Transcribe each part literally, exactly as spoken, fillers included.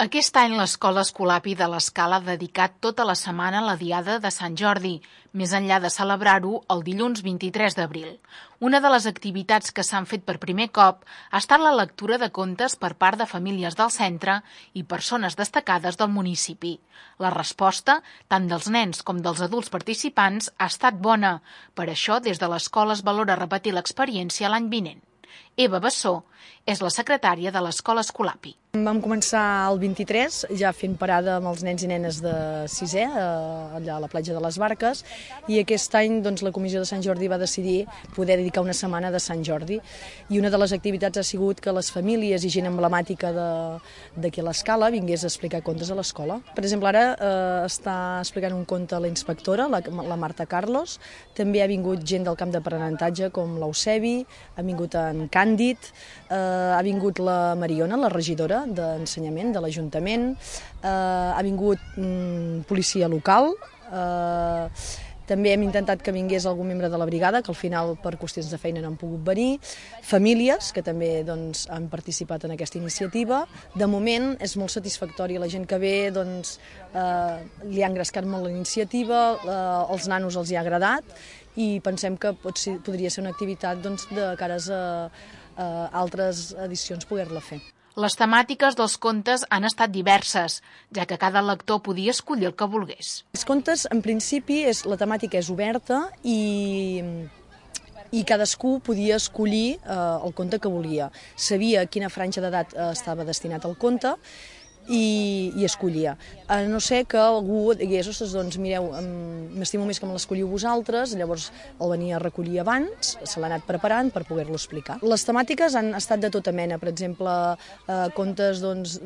Aquest any l'Escola Escolapi de l'Escala ha dedicat tota la setmana a la Diada de Sant Jordi, més enllà de celebrar-ho el dilluns vint-i-tres d'abril. Una de les activitats que s'han fet per primer cop ha estat la lectura de contes per part de famílies del centre i persones destacades del municipi. La resposta, tant dels nens com dels adults participants, ha estat bona. Per això, des de l'escola es valora repetir l'experiència l'any vinent. Eva Bessó és la secretària de l'Escola Escolapi. Vam començar el vint-i-tres, ja fent parada amb els nens i nenes de sisè, allà a la platja de les Barques, i aquest any doncs, la Comissió de Sant Jordi va decidir poder dedicar una setmana de Sant Jordi. I una de les activitats ha sigut que les famílies i gent emblemàtica d'aquí a l'Escala vingués a explicar contes a l'escola. Per exemple, ara eh, està explicant un conte a la inspectora, la, la Marta Carlos, també ha vingut gent del camp d'aprenentatge com l'Eusebi, ha vingut en Càndid, eh, ha vingut la Mariona, la regidora d'ensenyament de l'Ajuntament, eh, ha vingut mm, policia local, eh, també hem intentat que vingués algun membre de la brigada, que al final per qüestions de feina no han pogut venir, famílies que també doncs, han participat en aquesta iniciativa. De moment és molt satisfactori, la gent que ve doncs, eh, li ha engrescat molt la iniciativa, eh, els nanos els hi ha agradat i pensem que pot ser, podria ser una activitat doncs, de cares a a altres edicions poder-la fer. Les temàtiques dels contes han estat diverses, ja que cada lector podia escollir el que volgués. Els contes, en principi, és, la temàtica és oberta i, i cadascú podia escollir eh, el conte que volia. Sabia a quina franja d'edat eh, estava destinat el conte i, i escollia. A no ser que algú digués, ostres, doncs mireu, m'estimo més que me l'escolliu vosaltres, llavors el venia a recollir abans, se l'ha anat preparant per poder-lo explicar. Les temàtiques han estat de tota mena, per exemple, eh, contes doncs,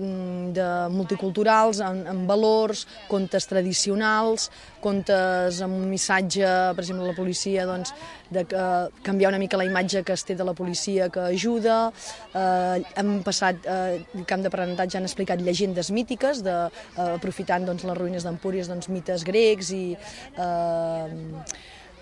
de multiculturals, amb, amb valors, contes tradicionals, contes amb un missatge, per exemple, la policia, doncs, de uh, canviar una mica la imatge que es té de la policia que ajuda. Eh, hem passat, eh, el camp d'aprenentatge han explicat llegendes mítiques, de, uh, aprofitant doncs, les ruïnes d'Empúries, doncs, mites grecs i, uh,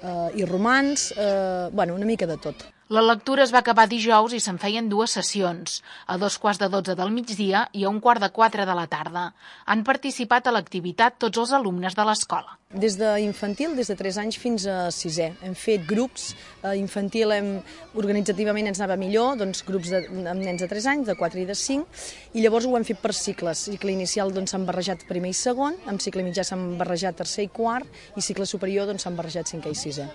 uh, i romans, uh, bueno, una mica de tot. La lectura es va acabar dijous i se'n feien dues sessions, a dos quarts de dotze del migdia i a un quart de quatre de la tarda. Han participat a l'activitat tots els alumnes de l'escola. Des d'infantil, des de tres anys fins a sisè. Hem fet grups, eh, infantil hem, organitzativament ens anava millor, doncs grups de, amb nens de tres anys, de quatre i de cinc, i llavors ho hem fet per cicles. Cicle inicial doncs, s'han barrejat primer i segon, amb cicle mitjà s'han barrejat tercer i quart, i cicle superior doncs, s'han barrejat cinquè i sisè.